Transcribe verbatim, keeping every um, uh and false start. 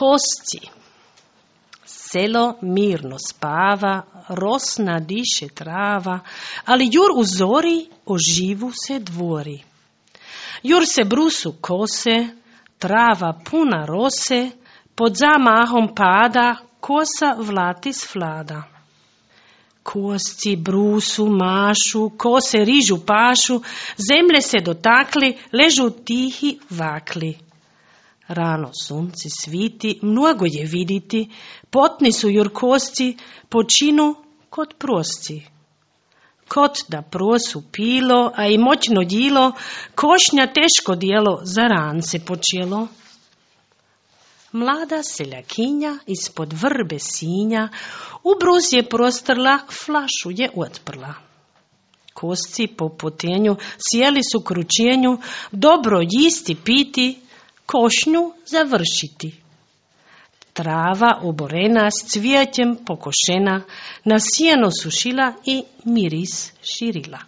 Kosti. Selo mirno spava, rosna diše trava, ali jur u zori oživu se dvori. Jur se brusu kose, trava puna rose, pod zamahom pada, kosa vlatis flada. Kosti brusu, mašu, kose rižu pašu, zemlje se dotakli, ležu tihi vakli. Rano sunce sviti, mnogo je viditi, potni su jurkosti, počinu kod prosci. Kot da prosu pilo, a i moćno djilo, košnja teško dijelo za rance počelo. Mlada seljakinja ispod vrbe sinja, ubruz je prostrla, flašu je otprla. Kosci po potenju sjeli su kručenju, dobro jisti piti, košnju završiti. Trava oborena s cvijećem pokošena, na sjeno sušila i miris širila.